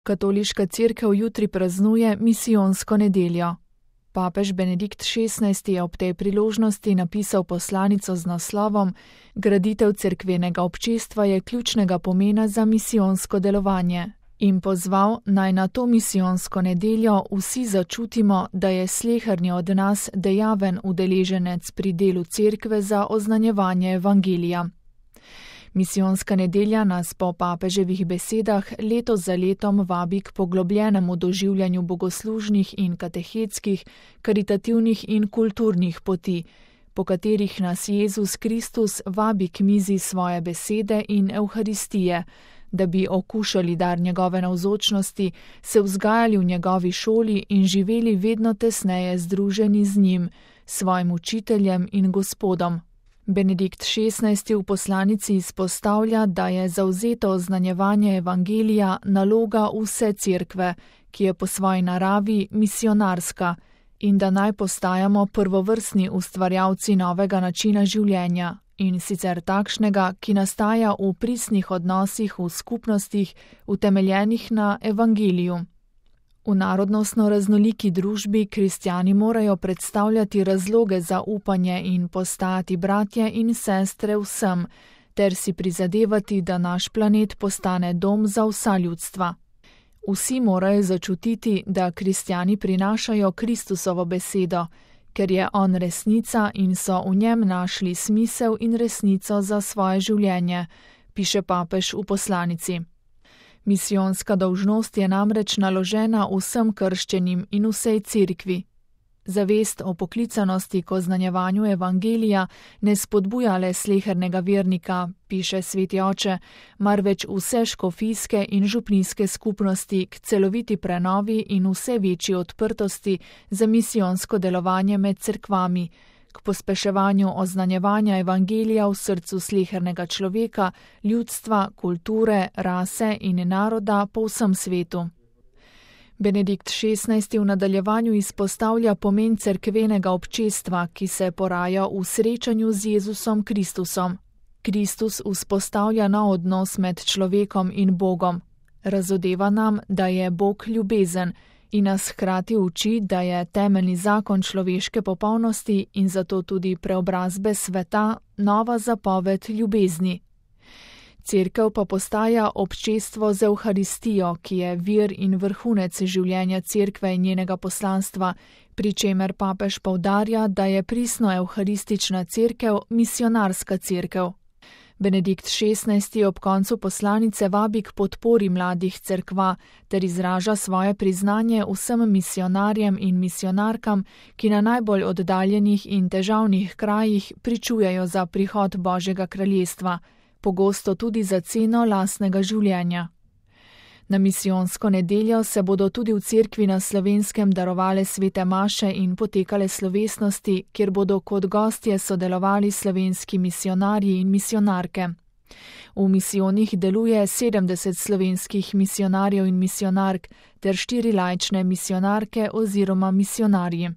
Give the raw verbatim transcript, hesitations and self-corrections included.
Katoliška cerkev jutri praznuje misijonsko nedeljo. Papež Benedikt šestnajsti je ob tej priložnosti napisal poslanico z naslovom Graditev cerkvenega občestva je ključnega pomena za misijonsko delovanje in pozval, naj na to misijonsko nedeljo vsi začutimo, da je sleherni od nas dejaven udeleženec pri delu cerkve za oznanjevanje evangelija. Misijonska nedelja nas po papeževih besedah leto za letom vabi k poglobljenemu doživljanju bogoslužnih in katehetskih, karitativnih in kulturnih poti, po katerih nas Jezus Kristus vabi k mizi svoje besede in evharistije, da bi okušali dar njegove navzočnosti, se vzgajali v njegovi šoli in živeli vedno tesneje združeni z njim, svojim učiteljem in Gospodom. Benedikt šestnajsti v poslanici izpostavlja, da je zavzeto oznanjevanje evangelija naloga vse cerkve, ki je po svoji naravi misionarska, in da naj postajamo prvovrstni ustvarjalci novega načina življenja, in sicer takšnega, ki nastaja v pristnih odnosih v skupnostih, utemeljenih na evangeliju. V narodnostno raznoliki družbi kristjani morajo predstavljati razloge za upanje in postajati bratje in sestre vsem, ter si prizadevati, da naš planet postane dom za vsa ljudstva. Vsi morajo začutiti, da kristjani prinašajo Kristusovo besedo, ker je on resnica in so v njem našli smisel in resnico za svoje življenje, piše papež v poslanici. Misijonska dolžnost je namreč naložena vsem krščenim in vsej cerkvi. Zavest o poklicanosti k oznanjevanju evangelija ne spodbuja le slehernega vernika, piše sveti oče, marveč vse škofijske in župnijske skupnosti k celoviti prenovi in vse večji odprtosti za misijonsko delovanje med cerkvami, k pospeševanju oznanjevanja evangelija v srcu slehernega človeka, ljudstva, kulture, rase in naroda po vsem svetu. Benedikt šestnajsti v nadaljevanju izpostavlja pomen cerkvenega občestva, ki se poraja v srečanju z Jezusom Kristusom. Kristus vzpostavlja nov odnos med človekom in Bogom. Razodeva nam, da je Bog ljubezen, in nas hkrati uči, da je temeljni zakon človeške popolnosti in zato tudi preobrazbe sveta nova zapoved ljubezni. Cerkev pa postaja občestvo z evharistijo, ki je vir in vrhunec življenja cerkve in njenega poslanstva, pri čemer papež poudarja, da je pristno evharistična cerkev misionarska cerkev. Benedikt šestnajsti ob koncu poslanice vabi k podpori mladih cerkva ter izraža svoje priznanje vsem misionarjem in misionarkam, ki na najbolj oddaljenih in težavnih krajih pričujejo za prihod Božjega kraljestva, pogosto tudi za ceno lastnega življenja. Na misijonsko nedeljo se bodo tudi v cerkvi na Slovenskem darovale svete maše in potekale slovesnosti, kjer bodo kot gostje sodelovali slovenski misionarji in misionarke. V misijonih deluje sedemdeset slovenskih misionarjev in misionark ter štiri laične misionarke oziroma misionarji.